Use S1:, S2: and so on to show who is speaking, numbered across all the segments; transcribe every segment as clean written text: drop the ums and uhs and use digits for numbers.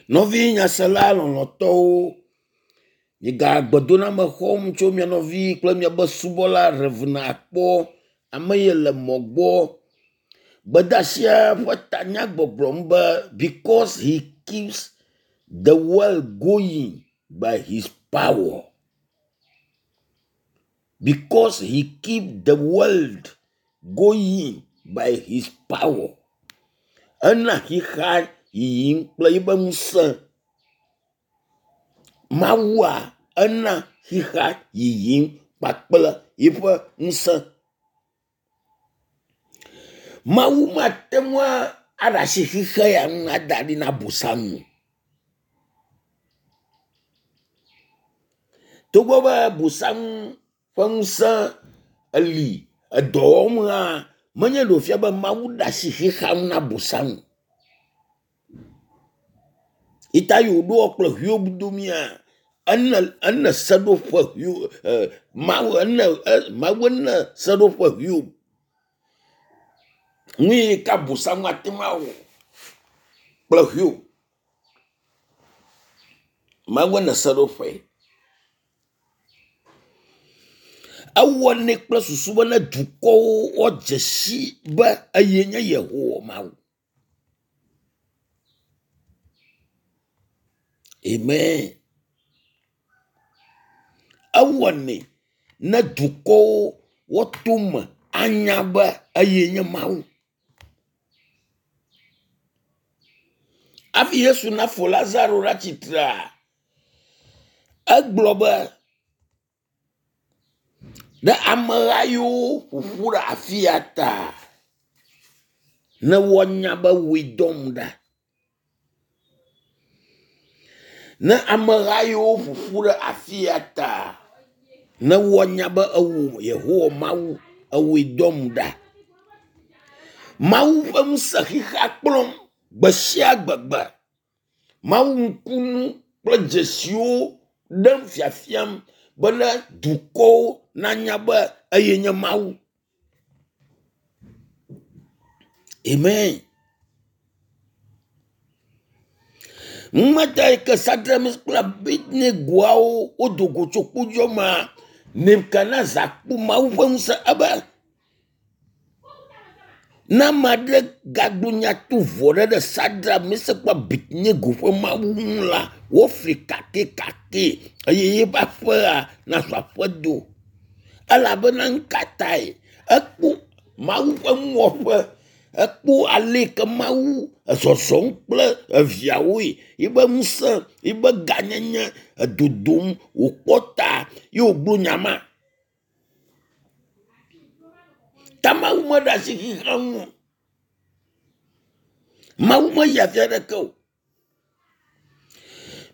S1: Nɔvi nyasela lɔlɔ̃tɔwo, miga gbedoname xɔm tso mia nɔvi kple miabe subɔla Rev. Akpɔ ame yi le mɔ gbɔ. Gbedeasia ƒe tanya gbɔgblɔm be because he keeps the world going by his power. Because he keep the world going by his power. Ena xixa yiyim kple yibe ŋusẽ. Mawua ena xixa yiyim kpakple yiƒe ŋusẽ. Mawu mate ŋu aɖe asi xixe ya ŋu ada ɖi na Abosam o. Togbɔ be Abosam ƒe ŋusẽ eli edɔ wɔm hã, menye ɖe wòfia be Mawu ɖe asi xexea ŋu na Abosam o. Yi ta yi wòɖo kple Hiob domia, ene ene seɖoƒe Hiob e Mawu ene e Mawu ene seɖoƒe Hiob. Nu yi ke Abosam ate ŋu awɔ kple Hiob. Mawu ene seɖoƒe. Ewɔnɛ kple susu be ne dukɔwo woadze si be eye nye Yehowa Mawu. Amen. Ewɔnɛ ne dukɔwo woato me anya be eye nye Mawu. Hafi Yesu nafɔ Lazaro ɖe atsitrea, egblɔ be ɖe ameha yiwo ƒoƒu ɖe afi ya ta ne woanya be wòe dɔm ɖa. Ne ameha yiwo ƒoƒu ɖe afi ya ta ne woanya be ewò Yehowa Mawu ewòe dɔm ɖa. Mawu ƒe ŋusẽ xixea kplɔm gbe sia gbegbe. Mawu ŋkunu kple dzesiwo ɖem fiafiam be ne dukɔwo nanya be eye nye Mawu. Amen. Numeta yi ke Sadramis kple Abednegoawo wodo go tso kpodzo mea, Nebukadnezar kpɔ Mawu ƒe ŋusẽ ebe ne ame aɖe gagblɔ nya tovo aɖe ɖe Sadrak, Mesak kple Abednego ƒe Mawu ŋu la, woafli kakɛkakɛ eye yeƒe aƒea nazu aƒedo. Elabena nu ka tae? Ekpɔ Mawu ƒe nuwɔƒe, ekpɔ ale yi ke Mawu ezɔzɔm kple eviawoe, yiƒe ŋusẽ, yiƒe gãnyenye edodom wòkpɔ ta ye wògblɔ nya ma. Ta Mawu meɖe asi xexea ŋu o. Mawu meyi afi aɖeke o.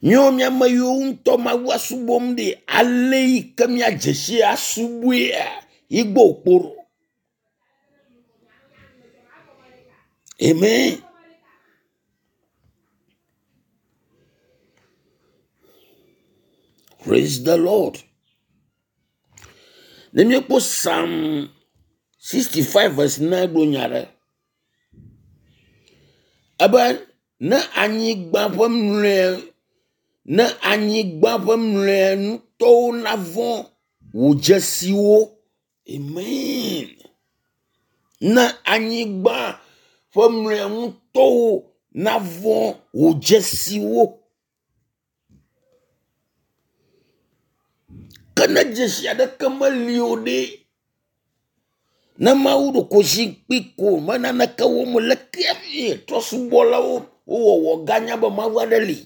S1: Míawo mía ame yiwo ŋutɔ Mawua subɔm ɖi ale yi ke míadze si asubɔea yi gbɔ wòkpo ɖo. Amen. Praise the Lord. Ne míekpɔ Psalm 65 verse 9 gblɔ nya ɖe. Ebe ne anyigba ƒe mlɔe ne anyigba ƒe mlɔenutɔwo navɔ̃ wò dzesiwo. Amen. Ne anyigba ƒe mlɔenutɔwo navɔ̃ wò dzesiwo. Ke ne dzesi aɖeke meli o ɖe, ne Mawu ɖo ko zikpui ko me naneke wɔm o, leke hafi trɔ̃subɔlawo wowɔwɔ ganya be Mawu aɖe li?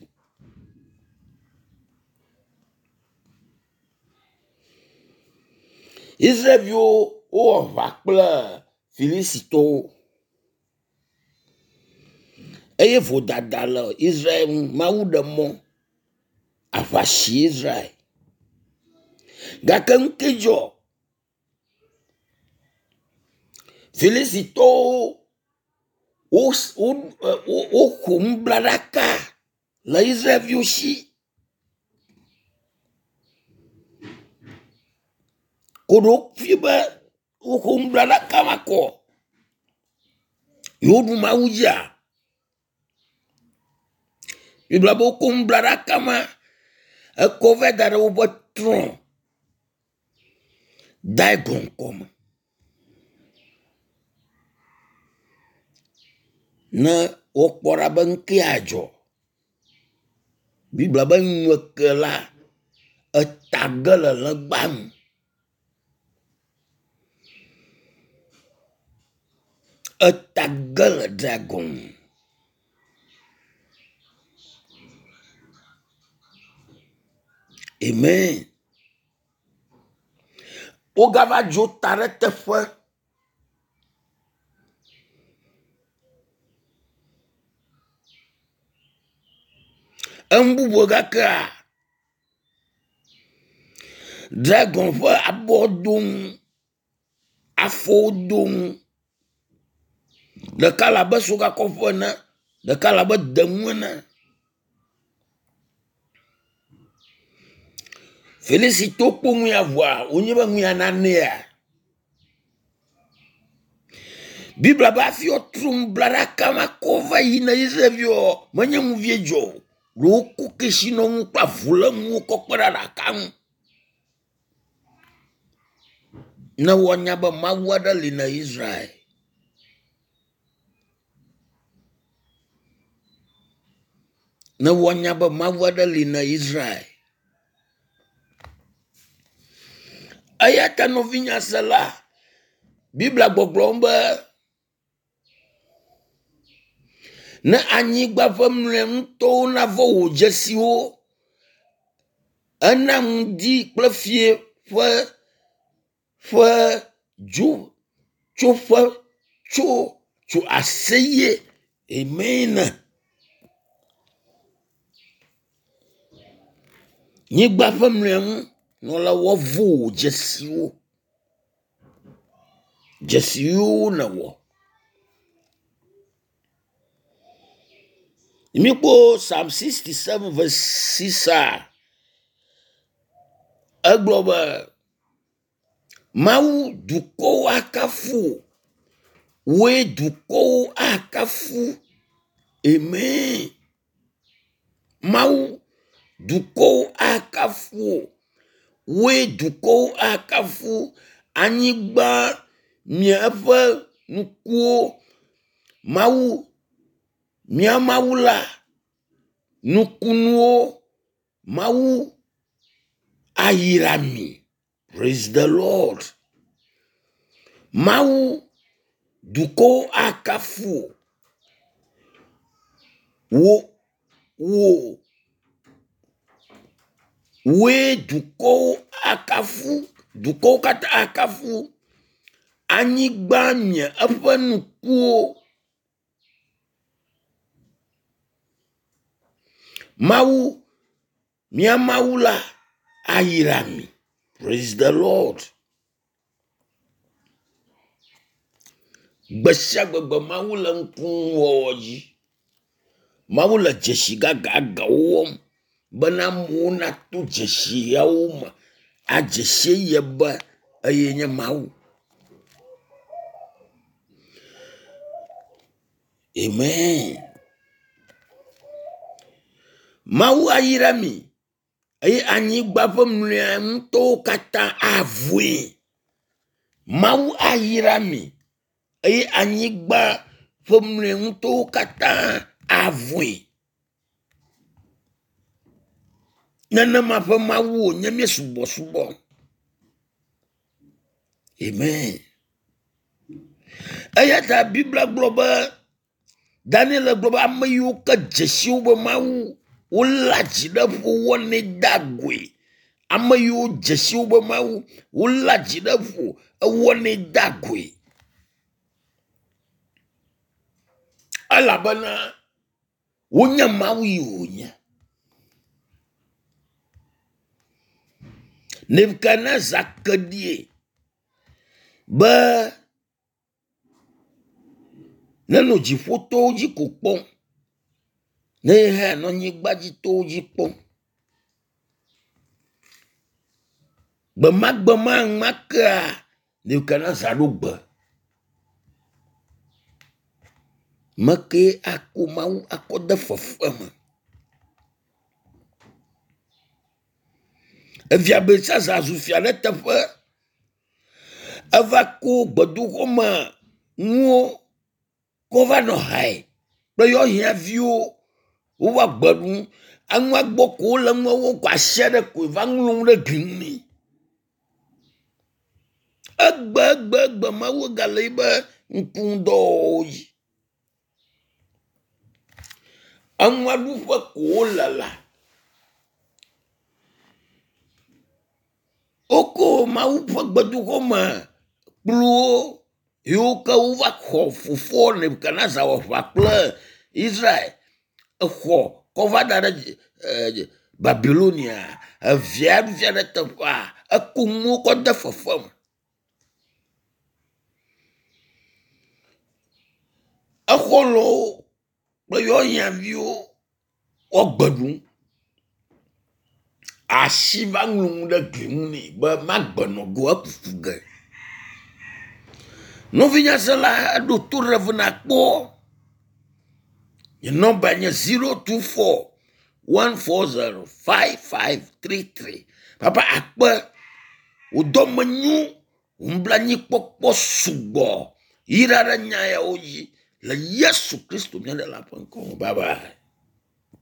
S1: Israelviwo wowɔ aʋa kple Filisitɔwo eye vodada le Israel ŋu. Mawu ɖe mɔ aʋa si Israel. Gake nu ke dzɔ? Filisitɔwo woxɔ nublaɖaka le Israelviwo si. Ko ɖewo fi be woxɔ nublaɖaka ma kɔ. Yewoɖu Mawu dzia? Biblia be wokɔ nublaɖaka ma ekɔ va da ɖe woƒe trɔ̃ Dagon kɔme. Ne wokpɔ ɖa be nu ke adzɔ. Biblia be ŋueke la eta ge le legba nu. Eta ge le dragon nu. Amen. Wogava dzo ta ɖe teƒe. Enu bubu gakea dragon ƒe abɔ do ŋu, afɔwo do ŋu. Ɖeka le abe sogakɔƒe ene, ɖeka le abe denu ene. Filisitɔwo kpɔ nu ya vɔa wonye be nu ya nanea. Biblia be hafi woatrɔ nublaɖaka ma kɔ va yi na Israelviwoa, menye nu vie dzɔ o. Ɖe woko kesinɔnu kple avulénuwo kɔ kpe ɖe aɖaka ŋu. Ne woanya be Mawu aɖe li na Israel. Ne woanya be Mawu aɖe li na Israel. Eya ta nɔvinye sela, Biblia gbɔgblɔm be ne anyigba ƒe mlɔenutɔwo navɔ wò dzesiwo, ena ŋdi kple fiẽ ƒe ƒe dzo tsoƒe tso tso aseye. Amen. Nyigba ƒe mlɔenu nɔla woavo wò dzesiwo. Dzesiwo nèwɔ. Míkpɔ Psalm 67 verse 6 a egblɔ be Mawu dukɔwo akafu wò. Wòe dukɔwo akafu. Amen. Mawu dukɔwo akafu wò. Wòe dukɔwo akafu. Anyigba mia eƒe nukuwo. Mawu mía Mawu la nukunuwo Mawu ayra mi. Praise the Lord. Mawu dukɔwo akafu wò. Wò wò wòe dukɔwo akafu. Dukɔwo katã akafu. Anyigba mia eƒe nukuwo. Mawu mía Mawu la ayra mi. Praise the Lord. Gbe sia gbegbe Mawu le ŋkuwɔwɔ dzi. Mawu le dzesi gãgãgãwo wɔm bena amewo nato dzesi yawo me adze si ye be eye nye Mawu. Amen. Mawu ayra mi eye anyigba ƒe mlɔenutɔwo katã avɔe. Mawu ayra mi eye anyigba ƒe mlɔenutɔwo katã avɔe. Nenema ƒe Mawu wònye míesubɔsubɔ. Amen. Eya ta Biblia gblɔ be Daniel gblɔ be ame yiwo ke dze si wobe Mawu woléa dzi ɖe ƒo wɔnɛ dea goe. Ame yiwo dze si wobe Mawu woléa dzi ɖe ƒo ewɔnɛ dea goe. Elabena wonya Mawu yi wònye. Nebukadnezar ke ɖie be nenɔ dziƒotowo dzi ko kpɔm ne ye hã nɔ anyigbadzitowo dzi kpɔm. Gbemagbe ma kea Nebukadnezar ɖo gbe. Mekee ako Mawu akɔ de fefe me. Evia Belsazar zu fia ɖe eteƒe. Eva ko gbedoxɔ me nuwo kɔ va nɔ hae kple yewo hiãviwo wova gbe ɖum. Enua gbɔ ko wole nua wɔm ko asi aɖe koe va ŋlɔ nu ɖe gli ŋu nɛ. Egbe egbe egbe Mawu gale yibe ŋkuŋudɔwɔwɔwo dzi. Enua ɖuƒe ko wole la. Woko Mawu ƒe gbedoxɔ me kpluwo yiwo ke wova xɔ fofoa Nebukadnezar wɔ aʋa kple Israel exɔ kɔ va da ɖe e Babilonia. Evia via ɖe teƒea eko nuwo kɔ de fefe me. Exɔlɔ̃wo kple yewo woagbe ɖum. Asi va ŋlɔ nu ɖe gli ŋu nɛ be magbe nɔ go ekuku ge. Nɔvinyasela eɖo to ɖe ve nakpɔ. Nye nɔmba nye 024 140 5533. Papa akpe wò dɔme nyo, wò nublanuikpɔkpɔ sugbɔ. Yra ɖe nya yawo dzi le Yesu Kristo mía Ɖela ƒe ŋkɔ me. Bye bye.